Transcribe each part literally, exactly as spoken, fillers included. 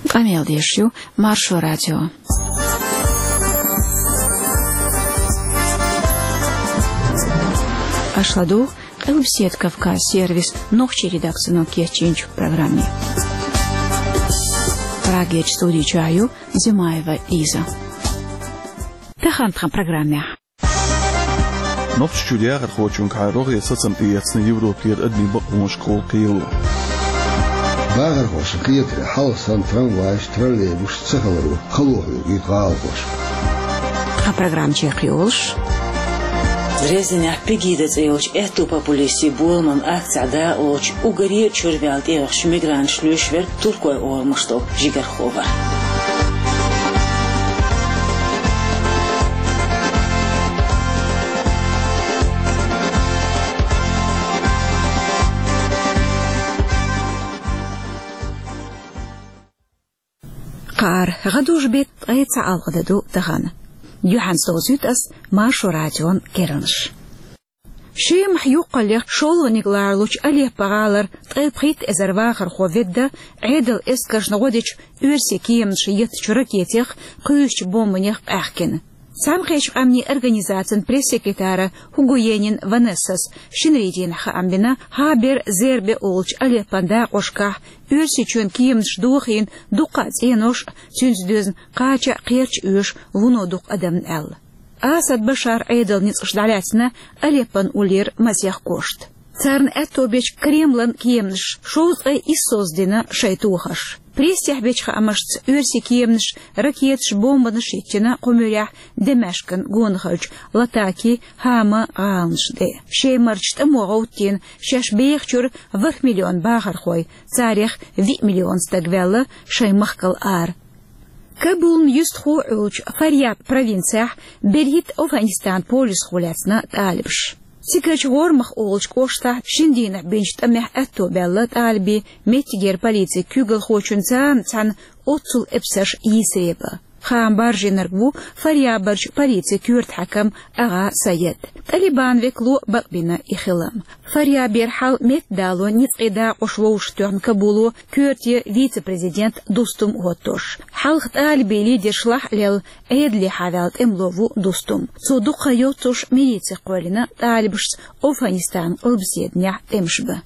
Къамел деш ю Маршо радио. Аша ладугӀу Къилбаседа Кавказ сервисан нохчийн редакцино кечйинчу программе. Прагерчу студи чохь ю Зимаева Лиза. Тахана тхан программехь. Нохчийчуьра яхархочуьнгахьа рогӀера сацам тӀеэцна Европера адамийн бакъонашкахула кхело. Бахархошна кхетарехь, хьалха санна трамвайш, троллейбусаш ца хиларо хало хьоьгуьйту гӀалахоша. Тхан программа чекхйолуш: Дрезденехь Пегида цӀе йолчу аьтту популистийн боламан акцехь дакъалоцуш уггаре а чуьра ваьлла тӀеоьхучу мигранташа лоьшуш верг туркойн орамаш долу жигархо вара. Кхара гӀадужу беттан ткъе цхьа алгӀа де ду тахана. Юьхьанца довзуьйту ас Маршо радион керланаш. Шемахь юккъаллех шолгӀаниг ларалучу Алеппо-гӀалара ткъе пхийтта эзар вахархо ведда, Ӏедалан эскаршна гӀо дечу оьрсийн кеманаша еттачу ракетех, кхуьйсучу бомбанех къаьхкина. Цхьаьнакхеттачу Къаьмнийн Организацин пресс-секретара Хугуенин Ванессас шинарин дийнахь хаам бина, Хабер, Зербе олучу Алеппон дакъошкахь Оьрсийчоьнан кеманаша дохийна дуккха а цӀенош а, цуьнца доьзна кхача а кхерч оьшу вуно дукха адамна аьлла. Асад Башаран Ӏедалан ницкъаша дӀалаьцна Алеппон уллера масех кошта. Царна аьтто бечу Кремлан кеманаша шовзткъе исс соьца дина шайн тохарш. Прессехь бечу хаамашца, оьрсийн кеманаша ракеташ, бомбанаш йиттина кху муьрехь Дамаскан гонахарчу Латаки, Хама гӀаланаш тӀе. Шемарчу тӀамо гӀовттийна шаьш бехачуьра ворхӀ миллион бахархой, царех виъ миллион стаг ваьлла шайн махкал ара. Кабулна юьстахо а Ӏуьллучу Фарьяб провинцехь берхӀитта Афганистанан полисхо лаьцна тӀалибаш. Цигарчу ГӀормах олучу кӀоштахь шина дийнахь бинчу тӀамехь аьтто баьлла тӀалибийн меттигера полицин куьйгалхочун царна цхьаьна оццул эпсарш йийсаре бан. Хаам баржийнарг ву Фарьябарчу полицин коьрта хьаькам агӀа Саед. Талибан векало бакъбина и хилам. Фарьябера хьал меттадало ницкъийн дакъош вовшахтоьхна Кабуло коьрте вице-президент Дустум хӀоттош. Хьалха тӀалибийн лидерш лахь а лелла, Ӏедалехьа ваьлла тӀемало ву Дустум. Цо дукха йоццуш милици кхоьллина тӀалибашца Афганистанан къилбаседанехь тӀемаш бан.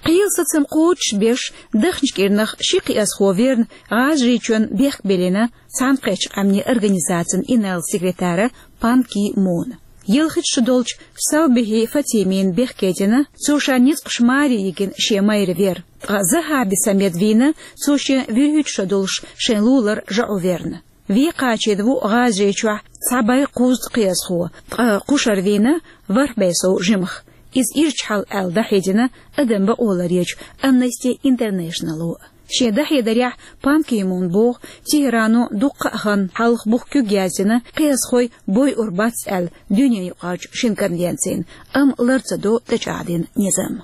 Кхелан сацам кхочушбеш, дахначу кӀирнах ши кхиазхо верна, ГӀажарийчоьнна бехк биллина Цхьаьнакхеттачу Къаьмнийн Организацин инарла секретара Пан Ки Муна. Ялхитта шо долчу Салбихи Фатимина бехке дина, цо ша ницкъаш маре йигина шен майра вер. Ткъа Захаби Самед вийна, цо шен вуьрхӀитта шо долуш шайн лулара жаӀу верна. Вен кхачийна ву ГӀажарийчохь цхьа бӀе кхузткъа кхиазхо, ткъа кхушара вийна ворхӀ бӀе сов жимах. Иза ирча хьал аьлла дӀахьедина адам бакъо ларъечу Amnesty International-о. Шен дӀахьедарехь Пан Ки Мун боху, Тегерано дуккха а хан хьалха бух куьг яздина, кхиазхой бойур бац аьлла дуьненаюкъарчу шина конвенцина, амма лар ца до тӀечӀагӀдина низам.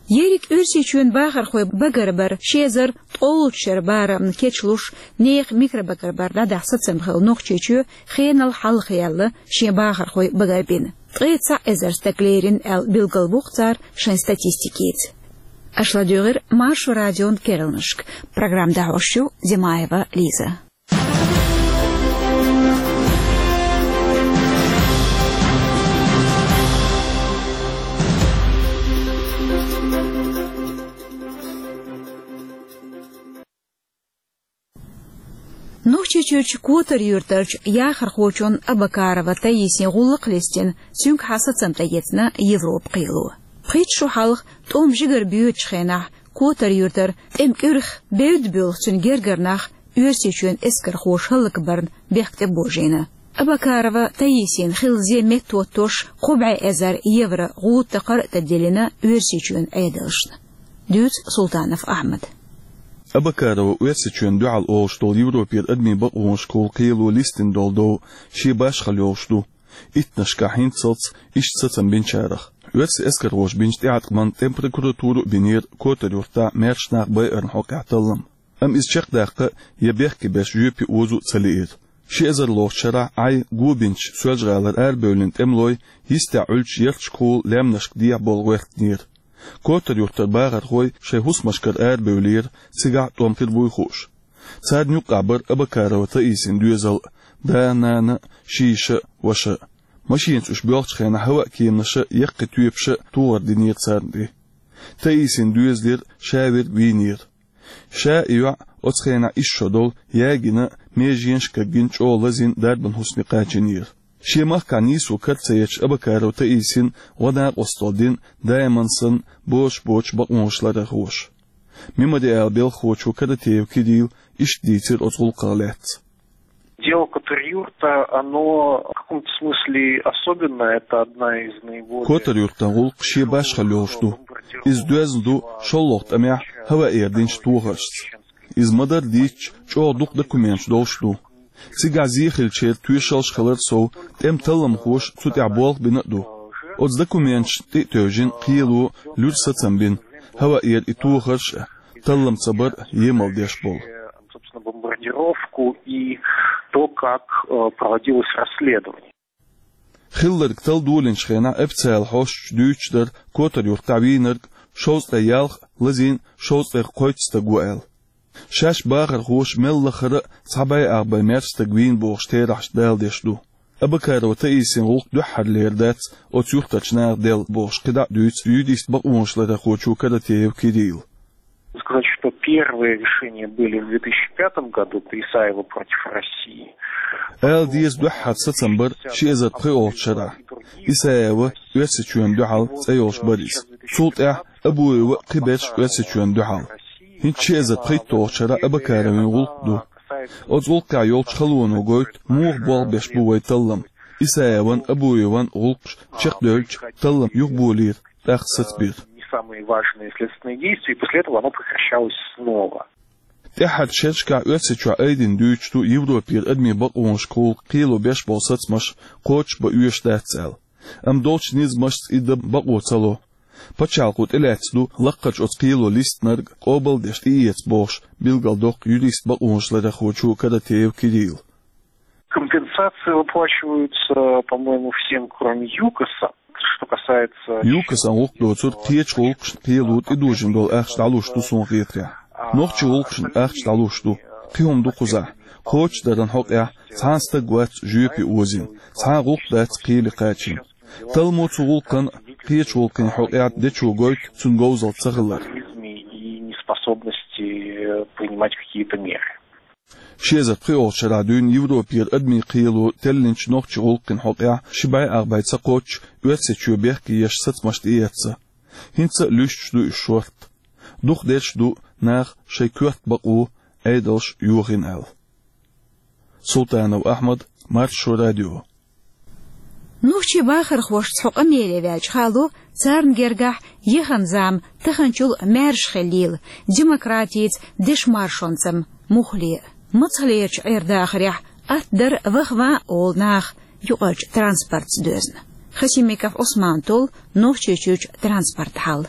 Ерриг Оьрсийчоьнан бахархой багарбар ши эзар ткъолгӀачу шеран барамна кечлуш, нехан микробагарбар дӀадахьа сацам хилла Нохчийчоь хенал хьалхаяьлла шен бахархой багарбина. Ткъе цхьаъ эзар стаг лерина аьлла билгалвоху цара шайн статистикица. Аша ладуьйгӀира Маршо радион керланашка. Программа дӀахьош ю Зимаева Лиза. Нохчийчуьрчу Котар-Юьртарчу яхархочунна Абакарова Таисина гӀуллакх а листина, цуьнгахьа сацам тӀеэцна Европа кхело. Пхийтта шо хьалха, тӀом жигара боьдучу хенахь, Котар-Юьртара тӀеман кӀуьрах бевдда буьйлу цуьнан гергара нах Оьрсийчоьнан эскархоша хӀаллакбарна бехк тӀебожийна. Абакарова Таисина хилла зен меттахӀоттош кхо бӀе эзар евро гӀуда такхар а тӀедиллина Оьрсийчоьнан Ӏедалшна. Дуьйцу Султанов Ахьмада. Абакарова Оьрсийчоьнна дуьхьал олуш долу Европера адамийн бакъонашкахула кхело листина долу дов шен башхалла йолуш ду, иттаннашкахь хӀинццалц иштта сацам бинчарах. Оьрсийн эскархоша бинчу тӀеӀаткъамна тӀеман прокуратуро а бинера Котар-Юьртахь маьрша нах байарна хьокъехь таллам. Амма иза чекхдаккха я бехке беш жоьпе озо а ца лиира. Ши эзарлгӀачу шарахь Ӏай го бинчу Соьлжа-ГӀалара арабевллина тӀемалой йистехь Ӏуьллучу ярташкахула лаьмнашка дехьа болу гӀоьртинера. Котар-Юртара бахархой шоай хӀусамашкара арабевлира, цигахь тӀом хир буй хууш. Царна юккъехь бара Абакарова Таисин доьзал, да, нана, ши йиша, ваша. Машенаца уьш боьлхучу хенахь хӀаваан кеманаша, яккхий тоьпаша тохар динера царна тӀе. Таисин доьзалера ша верг вийнера. Ша а, и йоӀ а оцу хенахь исс шо долу, ягийна, меженаш кагйина, чӀогӀа лазийна дарбан хӀусаме кхачийнера. Шен махкахь нийсо кара ца етташ, Абакарова Таисина гӀо-накъосталла дина, даиман санна, бозуш боцуш бакъонаш ларъярхоша. Мемориалан белхахочо Каратеев Кирилла иштта дийцира оцу гӀуллакхах лаьцна. Дело Котар-Юрта, оно в каком-то смысле особенное. Это одна из наиболее... Котар-Юртан гӀуллакх шен башхалла йолуш ду. Иза доьзна ду шолгӀа тӀамехь хӀаваан эр динчу тохаршца. Иза ма-дарра дийцича, чӀогӀа дукха документаш долуш ду. Цигахь зе хиллачеран тоьшаллаш хилар сов, тӀеман талламхоша цу тӀехь болх бина а ду. Оцу документашна тӀе а тевжина, кхело луьра сацам бина, хӀаваан эр и тохарш а, таллам ца бар а емал деш болу. Собственно, бомбардировку и то, как, э, проводилось расследование. Хилларг талла долийначу хенахь официалан хьосташа дуьйцуш дара Котар-Юртахь вийнарг шовзткъе ялх, лазийна шовзткъе кхойтта стаг ву аьлла. Шаьш бахархоша мел лахара а цхьа бӀе ах бӀе маьрша стаг вийна бохуш терахьаш даладеш ду. Абакарова Таисин гӀуллакх дуьххьарлера дац оцу юьртарчу наха делла бохуш кхидӀа а дуьйцу юрист бакъонаш ларъярхочо Каратеев Кирилла. Сказать, что первые решения были в две тысячи пятом году, это Исаева против России. Ала деза, дуьххьара сацам бара ши эзар пхоьалгӀачу шарахь. Исаева Оьрсийчоьнна дуьхьал цӀе йолуш бара иза. Цул тӀаьхьа Абуева, кхиберш Оьрсийчоьнна дуьхьал. ХӀинца ши эзар пхийтталгӀачу шарахь Абакаровин гӀуллакх ду. Оцу гӀуллакхехь йолчу халоно гойту муха болх беш бу вайн таллам. Исаеван, Абуеван гӀуллакхаш чекхдевлча, таллам юхаболийра, тӀаккха сацабира. Не самые важные следственные действия, и после этого оно прекращалось снова. ТӀаьххьарчу шерашкахь Оьрсийчохь айдина дуьйцуш ду Европера адамийн бакъонашкахула кхело беш болу сацамаш кхочушбан оьшуш дац аьлла. Амма долчу низамашца и дан бакъо ца ло. Пачхьалкхо тӀелаьцна ду лаккхарчу оцу кхело листинарг къобалдеш тӀеэца бохуш, билгалдоккху юрист бакъонаш ларъярхочо Каратеев Кирилла. Компенсации выплачиваются, по-моему, всем, кроме ЮКОСа. Что касается... ЮКОСан гӀуллакх доцург кхечу гӀуллакхашна кхело тӀедожийна долу ахча дӀалуш ду, суна хетарехь. Нохчийн гӀуллакхашна ахча дӀалуш ду. Кхин хӀума ду кхузахь. Кхочушдаран хьокъехь цхьана стаг вац жоьпе озийна, цхьана гӀуллакх дац кхеле кхачийна. Талламо цу гӀуллакхан, кхечу гӀуллакхийн хьокъехь дечо гойту цуьнан говзалла ца хилар. И неспособности принимать какие-то меры. Ши эзар пхоьалгӀачу шарахь дуьйна Европера адамийн кхело теллинчу нохчийн гӀуллакхийн хьокъехь ши бӀе ах бӀе ца кхоччуш Оьрсийчоь бехке еш сацамаш тӀеэцна. ХӀинца а луьстуш ду уьш шорта. Дукхахдерш а ду наха шайн коьрта бакъо, Ӏедалш йохийна аьлла. Султанов Ахьмад, Маршо радио. Нохчийн бахархошца хьо къамеле ваьлча хало, царна гергахь яхана зама таханчул маьрша хилийла, демократица, дешан маршонца муххале. Мацхалерчу Ӏер-дахарехь атта дара ваха-ван а волу нах юкъарчу транспортца доьзна. Хасимиков Ӏусмана толлу Нохчийчуьрчу транспортан хьал.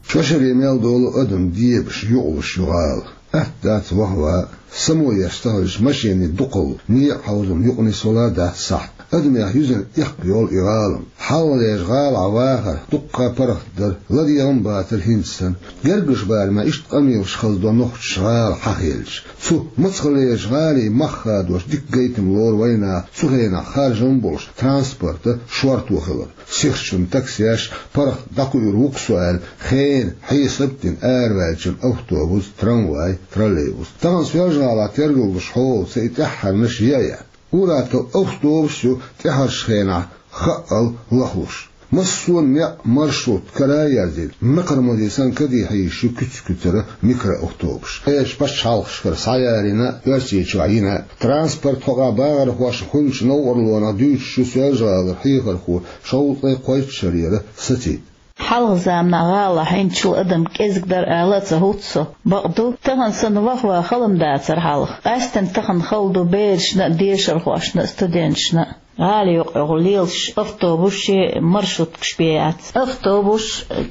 Шо шаре мел долу адам дебаш, юкъалуш ю гӀала. Атта дац ваха-ван а, само еш ца хилча, машенийн дукхалла некъан хьовзам юкъа нисвала дац сахьт. Адамех юьзна эккха йолу и гӀалам. Хьалха лежа гӀалахь вахар дуккха а паргӀат дара, ладегӀа а бацара хӀинца санна. Гергарчу барамехь иштта къамелаш хазадо нохчаша гӀала хьахийлча. Цу мацхалерчу гӀалин мах хадош дика гайтам лору вайнаха цу хенахь харжам а болуш транспорта шорто хилар. Сихачунна таксеш паргӀат дӀакхуьур ву-кх со аьлла, хенан хьесап а дина араваьллачун автобус, трамвай, троллейбус. Тахана Соьлжа-ГӀалахь тергаллуш хьолаца и тӀаьххьарнаш яа яц. Ур-атталла автобус ю тӀаьхьарчу хенахь хаъал лахлуш. Массо а некъ маршрутка кара а ерзийна, мекхармаза санна каде хьийзаш ю куьц-куьцара микроавтобус. Кхечу пачхьалкхашкара схьаярийна а, Оьрсийчохь йина а. Транспортан хьокъехь бахархошна хуьлучу новкъарлонах дуьйцуш ю Соьлжа-ГӀалара хьехархо шовзткъе кхойтта шарера Сацид. Хьалха заманахь гӀалахь хӀинцачул адам кӀезиг дара ала а ца хӀутту со. Бакъду, тахана санна ваха-ван хала ма дацара хьалха. Къаьсттина тахана хала ду берашна а, дешархошна а, студенташна а. ГӀала юкъахула лелаш автобусаш а, маршруткаш бен яц. Автобус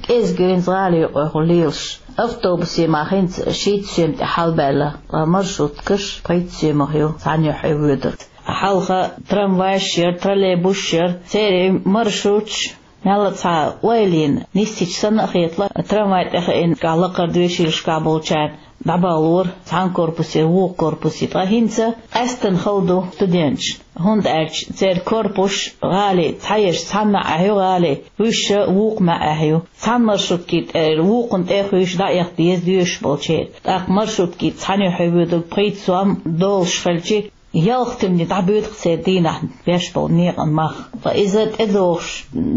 кӀезиг ю хӀинца гӀала юкъахула лелаш. Автобусе мах хӀинца шийтта соьма тӀе хьалабаьлла, ткъа маршруткаш пхийтта соьмах ю, цхьана юьхь воьдург. Хьалха трамвайш яра, троллейбусаш яра, церан маршруташ Мелла цхьа ойла йина, нийсача санна а хеталу, трамвай тӀе хаийна, кхы лакхара доьшийлашкахь болчарна дӀабахалора цхьана корпусера вукху корпусе. Ткъа хӀинца къаьстина хала ду студенташна, хӀунда аьлча церан корпусаш гӀалин цхьаерш цхьана маьӀӀехь ю, гӀалин уьш вукху маьӀӀехь ю. Цхьана маршруткин тӀера вукхунна тӀе а хуьйшуш дӀаэха деза доьшуш болчеран. ТӀаккха маршрутки цхьаьна юьхь воьдург пхийтта сом долуш хилча, ялх туьмане дӀабоьду-кх церан дийнахь беш болу некъан мах. Ткъа иза тӀедогӀуш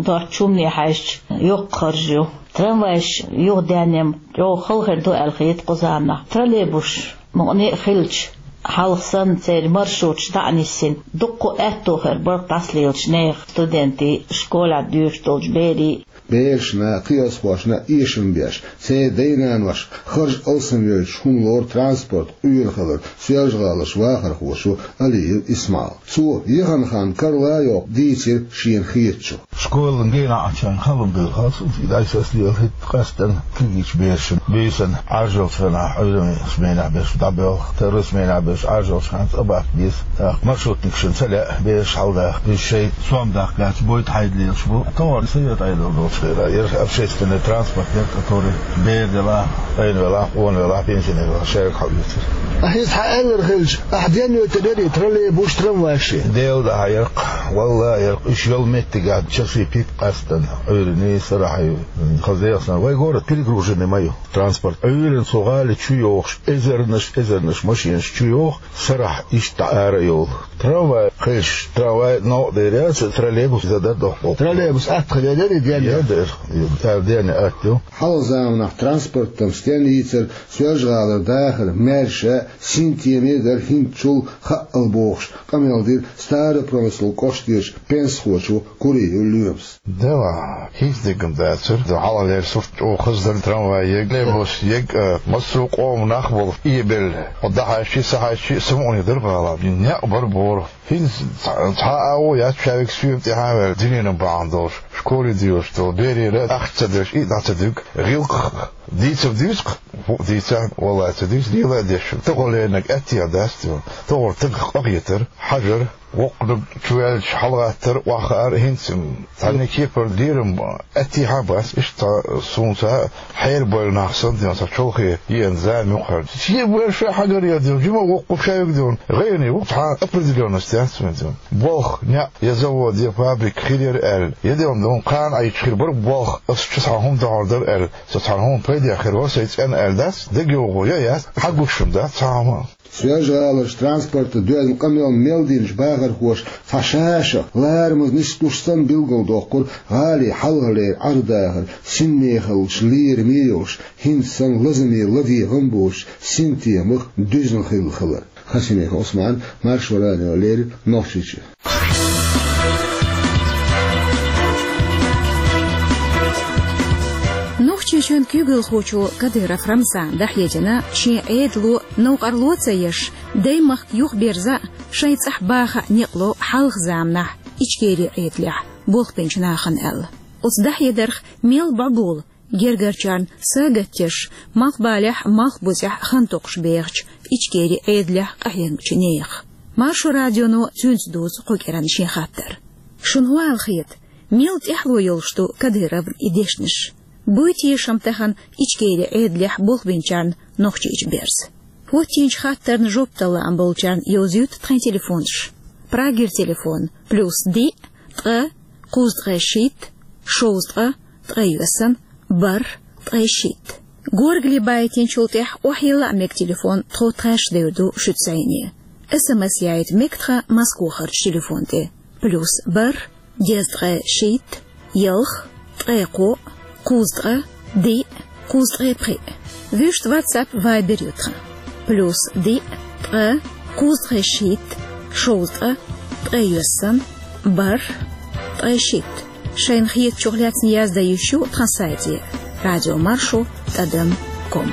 доцучу хӀумане хьаьжча, йоккха харж ю. Трамвайш юха даьнна-м чӀогӀа хала хир ду аьлла хета кху заманахь. Троллейбусаш мукъане а хилча, хьалха санна церан маршруташ дӀа а нисйина, дуккха а аьтто хир бара дӀасалелачу нехан, студентийн, школехь доьшуш долчу берийн. Берашна, кхиазхошна эшам беш, церан дай-наноша харж алсамйойтуш хӀума лору транспорт Ӏуьйранна хилар Соьлжа-ГӀаларчу вахархочо Алиев Исмаила. Цо яхана хан карла а йоккхуш дийцира шена хетачух. Школан генахь а чайна хала хӀума дара хаза, и дӀасаслелахӀитта къаьстина кегийчу берашна, буьйсанна Ӏаржалчу хенахь Ӏуьйранна сменехь берш дӀабоьлху, второй сменехь берш Ӏаржалчу хенахь цӀа баккха деза. ТӀаккха маршрутникашна ца лаьа бераш хьаладаха. Иза шайн сом даккха гӀерташ, бойта хьайда лелаш бу. Товар совет Ӏедал долчу хенахь яра общественный транспорт, яра, который бер делахь, къена велахь, къона велахь, пенсионер велахь, шайга хьаоьцура. Ахьа иза хьан аьлларг хилча, ахьа денна йойтур ярий троллейбус, трамвайш? Делан дуьхьа яра-кх, валлахӀи яра-кх, уьш йолу меттигехь часий пхийтта къаьстина Ӏуьйранна, сарахь ю. Хаза дехна сан, вай город перегруженный ма ю. Транспорт Ӏуьйранна цу гӀали чу йогӀуш, эзарнаш, эзарнаш машенаш чу йогӀу, сарахь иштта ара йолу. Трамвай хезаш, трамвай новкъа дер яц, троллейбус иза дан дохку. Троллейбус атта хилла дер и денна? Я дер, цара денна атта ю. Хьалха заманахь транспортан стен йийцар Соьлжа-ГӀалара дахар маьрша, синтеме дара хӀинцачул хаъал бохуш, къамел дира Старопромыслан кӀоштарчу пенсахочо Куриев Лоьмас. Дела, хӀинца дегна дацара, хьалхалера сурт чӀогӀа хаза дара, трамвай ег, троллейбус ег, а, массо а къоман нах болу, и белла. Хьо дӀахьаьжчи, схьахьаьжчи, самукъане дара бала. Некъ бара бора. ХӀинца цхьа, цхьа а агӀо яц, шаверг соьма тӀаьхьа а ваьлла, дуьненан бахьана долуш, школе доьшуш долу берера ахча ца деш, и дӀа ца дуьгу, гӀиллакх дийцар дуьйцу-кх, хӀуъа дийцахь, валлай, ца дуьйцу, лела а деш. Тахана леринарг аьттехьа дац, тахана тагах къахетар, хьажар, воккханиг чуваьлча хьалагӀаттар, охьахаар, хӀинца цхьанне кепара лерам аьттехьа а бац, иштта цхьа суна цхьа хьерабевлла нах санна, дела, цхьа чолхе еана зама юккъехь. Шен бер ша хьагаръян, дела, жима воккхуш шаверг, дела, гӀайгӀане ву, цхьа определённость яц вайн, дела. Болх, неӀ, я завод, я фабрика хир яра аьлла, я, дела, кхана Ӏийча хир бара болх, ас чу цхьа хӀума дохьур дара аьлла, со цхьана хӀуманна пайдехь хир вара сайн цӀена аьлла дац, дегайовхо я яц, хьагуш-м дац цхьа хӀума. Соьлжа-ГӀаларчу транспортан доьзна къамелна мел динчу бахархоша цхьа ша-шах ларамаза нисдеш санна билгалдоккхура гӀалин хьалхалера Ӏардахар синмехаллаш лераме йолуш, хӀинца санна лазаме ладегӀам боцуш, синтемах дуьзна хилла хилар. Хасимиков Ӏусман, Маршо радио, леррина Нохчийчоь. Нохчийчоьнан куьйгалхочо Кадыров Рамзана дӀахьедина шен Ӏедало новкъарло ца еш, даймахка юхаберза а, шайн цӀахь баха а некъ ло хьалха заманахь Ичкерин Ӏедалехь болх бинчу нахана аьлла. Оцу дӀахьедарх мел бӀобула гергарчарна сагатдеш, малхбалехь а, малхбузехь а хан токхуш бехачу Ичкерин Ӏедалехь къахьегначу нехан. Маршо радионо цуьнца дузу кху кӀиранна шен хаттар. Шуна хӀун аьлла хета, мел тӀаьхьало йолуш ду Кадыровн и дешнаш? Буй теша-м тахана Ичкерин Ӏедалехь болх бинчарна Нохчийчу берза? ХӀоттийначу хаттарна жоп дала лаам болчарна йовзуьйту тхайн телефонаш. Прагера телефон: плюс диъ, ткъа, кхузткъе шийтта, шовзткъа, ткъе йоьссан, бархӀ, ткъе шийтта. Горгали байтинчул тӀаьхьа охьайилла а мега телефон, тхо тхаьш девр ду шуьца зӀене. СМС яийта мега тхан Москвахарчу телефон тӀе: плюс бархӀ, дезткъе шийтта, ялх, ткъе кхоъ, кхузткъа, диъ, кхузткъе пхиъ. Вуьшта WhatsApp, Viber ю тхан: плюс диъ, ткъа, кхузткъе шийтта, шовзткъа, ткъе йоьссан, бархӀ, ткъе шийтта. Шайна хетачух лаьцна яздан йиш ю тхан сайте: радиомаршо тӀадам ком.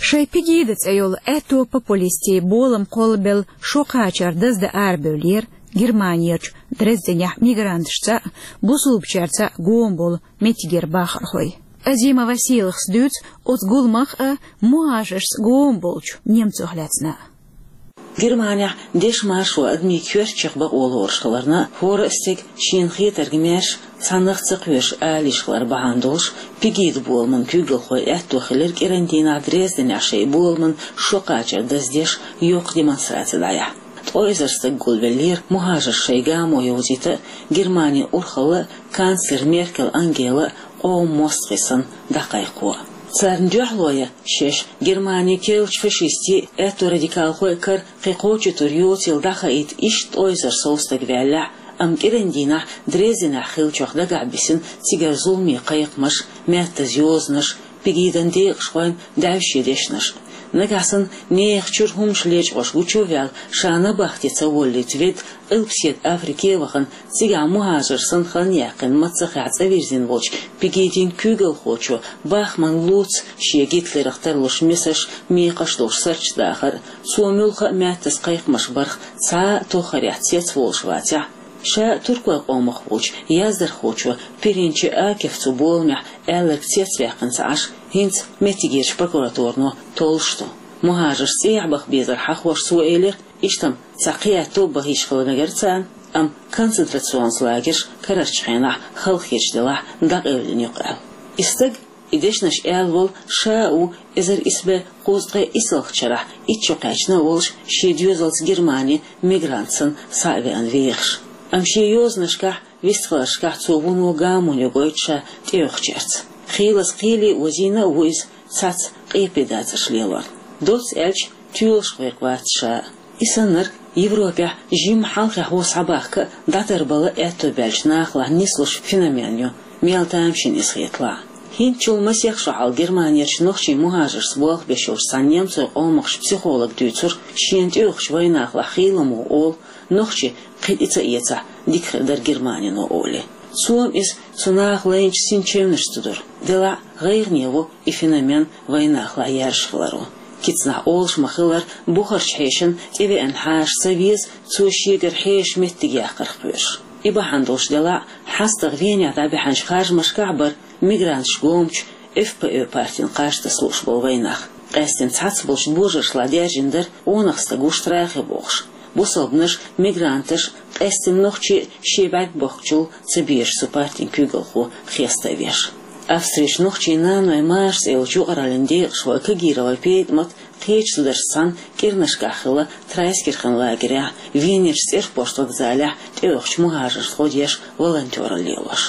Шайн «Пегида» цӀе йолу аьтто популистийн болам кхоллабелла шо кхачар даздан арабевллера Германерчу Дрезденехь мигранташца а, бусулбачаьрца а гома болу меттигера бахархой. Азимова Сийлахас дуьйцу оцу гуламах а, мухӀажаршца гома болчу немцойх лаьцна а. Германехь дешан маршо адамийн коьртачех бакъо лоруш хиларна, хӀора а стеган шена хетарг маьрша, цхьаннах ца кхоьруш ала йиш хилар бахьана долуш, Пегида боламан куьйгалхойн аьтто хилира кӀиран дийнахь Дрезденехь шайн боламан шо кхачар даздеш йоккха демонстраци дӀаяхьа. Ткъа эзар стаг гулвеллера мухӀажарш шайн гамо йовзийта а, Германин урхалла а, канцлер Меркель Ангела а къоман мостагӀий санна дӀакхайкхо а. Царна дуьхьало ян шаьш Германин керлачу фашистийн а, аьтто радикалхойн а кара кхин кхочушдур йоцийла дӀахаийта иштта ткъа эзар сов стаг ваьллехь а, амма кӀиран дийнахь Дрезденехь хиллачух дагахь бисина цигара зуламе кхайкхамаш, маьттаза йозанаш, Пегидан декъашхойн даьвше дешнаш. Нагахь санна нехан чуьра хӀуманаш лечкъош гучу а ваьлла, ша набахте ца воллийта ведда, Къилбаседа Африке а вахана, цигахь мухӀажар санна хан яьккхина маццахехь цӀа вирзина волчу Пегидин куьйгалхочо бахманна луц шен Гитлерах тарлуш месаш, мекхаш долуш сурташ дахар а, цо муьлхха а маьттаза кхайкхамаш барх цхьа а тоххарехь цецволуш вацахь а. Ша туркойн къомах волчу яздархочо Пиринчи Акиф цу боламехь аьлларг цецваьккхина ца Ӏаш, хӀинца меттигерчу прокуратуро толлуш ду. МухӀажарш цӀехьа баха безар хьахош цо элира, иштта-м цхьа кхиаьтто а баха йиш хила мегара царна, амма концентрационни лагерш карарчу хенахь халахеташ делахь дӀакъевлина ю-кх аьлла. И стаг, и дешнаш аьлла волу, ша а ву эзар исс бӀе кхузткъе исалгӀачу шарахь итт шо кхаьчна а волуш, шен доьзалца Германе мигрант санна схьа а веана вехаш. Амма шен йозанашкахь, вистхиларшкахь цо вуно гамонна ю гойту ша тӀеюхучаьрца. Хийлаза кхеле а озийна а ву иза, цхьацца къепе дацарш лелорна. Доцца аьлча, тоьлуш верг вац ша. И саннарг Европехь жимма хьалххе хьо схьабахка а, дӀатарбала а аьтто баьллачу нахалахь нислуш феномен ю, мел тамашийна иза хеталахь а. ХӀинцачул масех шо хьалха Германерчу нохчийн мухӀажаршца болх беш йолчу цхьана немцойн къомахчу психолога дуьйцура, шена тӀеюхучу вайнахалахь хийла ма ву олу, нохчий кхин тӀе ца эцахь, дика хир дара Германино олий. Цо-м иза цу наха лайначу синчевнашца дора. Делахь а гӀайгӀане ву и феномен вайнахалахь яьржаш хиларо. Кицанахь олуш ма-хиллара, бухарчу хьешана тӀевеана хьаша ца веза, цо шегара хьеша меттиг яккхарх кхоьруш. И бахьана долуш делахь а, хьастагӀа Венехь дӀабаьхьначу харжамашкахь а бара мигранташ гомачу Ф П Ө партин кхаж таса лууш болу вайнах. Къаьстина цхьацца болчу божаршлахь даьржина дара къонах стаг ву штрахе бохуш. Бусалбанаш, мигранташ, къаьстина нохчий а шен бӀаьрг бохкучул ца безаш цу партин куьйгалхо хеста а веш. Австрерчу нохчийн нанойн Маша цӀе йолчу юкъараллин декъашхой Кагирова ПетӀамат кхечу зударшца цхьаьна кӀирнашкахь хилла Трайскирхен лагерехь, Венерчу цӀерпошт вокзалехь тӀеюхучу мухӀажаршна гӀо деш волонтёралла лелош.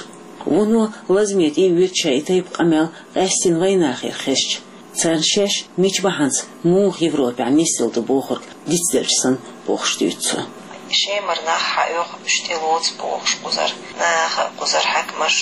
Вуно лазаме тӀе а вуьту шайн и тайпа къамел къаьстина вайнахера хезча. Царна шаьш мича бахьанца муха Европехь нисъелла ду бохург дицделча санна бохуш дуьйцу цо. Шемара нах хьаоьху, уьш тӀелоцу бохуш кхузара наха, кхузара хьаькамаш,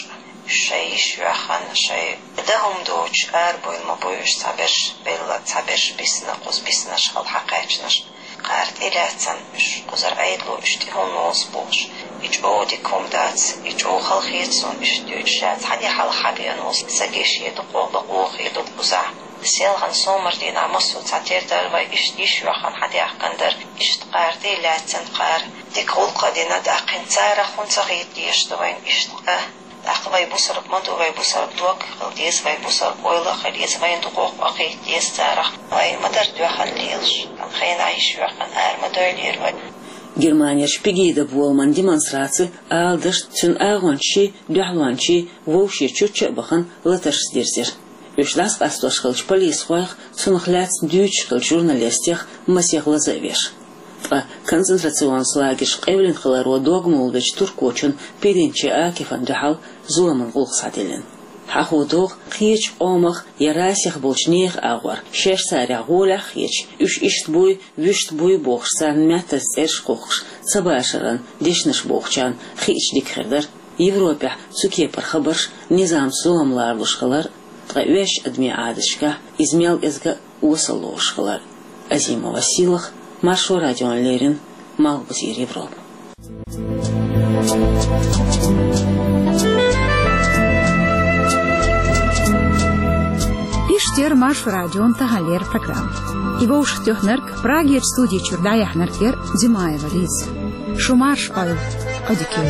уьш шайн йиш йоьхна, шайн дан хӀума доцуш арабевлла ма бу уьш, цхьаберш белла, цхьаберш бисна, кхуза биснарш хьала хьакхаьчнарш. Кхара тӀе а лаьцна уьш кхузара Ӏедало, уьш тӀе хӀунда лоцу бохуш. И чӀогӀа дика хӀума дац, и чӀогӀа хала хета суна уьш дуьйцуш, ша цхьаьна хьалха хьабеана волу стаге шен дукхох бакъо хир ду кхузахь. Селхана сомара дийнахь массо а цхьатерра дара вай, иштта йиш йоьхна хьадаьхкина дара, иштта кхара тӀе а лаьцна кхара. Дика гӀуллакх а дина, даьккхина царах хӀунда ца хийта дезаш ду вайна иштта къа? ТӀаккха вай бусалба ма ду, вай бусалба дог а хила деза, вай бусалба ойла а хила еза, вайна дукхох къа хийта деза царах. Вай ма дара тоьхна лелаш, хенахь йиш йоьхна ара ма дойлера вай. Германерчу Пегида боламан демонстраци, аладашна, цуьнан агӀончаший, дуьхьалончаший вовшийн чучча а бахана, латаршца дирзира. Уьш дӀасакъастош хиллачу полисхойх, цунах лаьцна дуьйцуш хиллачу журналистех масех лаза а веш. Ткъа концентрационни лагерш къевлина хиларо дог ма луьйчу туркочун Пиринчи Акифан дуьхьал зуламан гӀуллакх схьадиллина. Хьахо догӀу, кхечу къомах я расех болчу нехан агӀор, шаьш царех гӀолехь а хеташ, уьш иштта буй, вуьшта буй бохуш, царна маьттаза цӀераш кхухкуш, цабашаран дешнаш бохучарна хиъча дика хир дара, Европехь цу кепара хабарш низамца зулам ларалуш хилар, ткъа оьшучу адамийн Ӏадаташкахь иза мел кӀезиг а осал лоруш хилар. Азимова Сийлаха, Маршо радиона леррина, Малхбузера Европа. Иштта яра Маршо радион таханлера программа. И вовшахтоьхнарг, Прагерчу студи чуьра дӀаяьхьнарг яра Димаева Лиза. Шу марш, ойл, одиким.